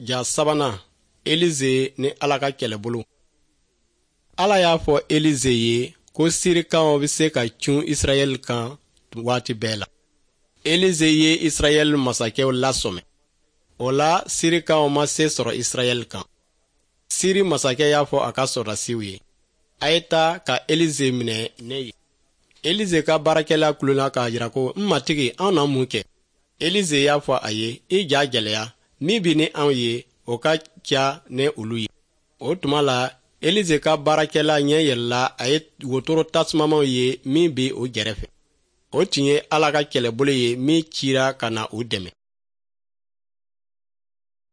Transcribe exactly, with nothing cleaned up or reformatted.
Ja sabanan, Elize ni Ala ka kɛlɛbolo. Ala y'a fɔ Elize ye ko Sirikaw bɛ se ka cun Israɛl kan waati bɛɛ la. Elize ye Israɛl masakɛw lasɔmɛ. O la, Sirikaw ma se sɔrɔ Israɛl kan. Siri masakɛ y'a fɔ a ka sɔrɔdasiw ye: "A ye taa ka Elize minɛ ne ye." Elize ka baarakɛla kulela k'a jira ko: "N matigi, anw na mun kɛ?" Elize y'a fɔ a ye: "I ja gɛlɛya, min bɛ ni anw ye, o ka ca ni olu ye." O tuma la, Elize ka baarakɛla ɲɛ yɛlɛla, a ye wotoro tasumamaw ye min bɛ o gɛrɛfɛ. O tun ye Ala ka kɛlɛbolo ye min cira ka na u dɛmɛ.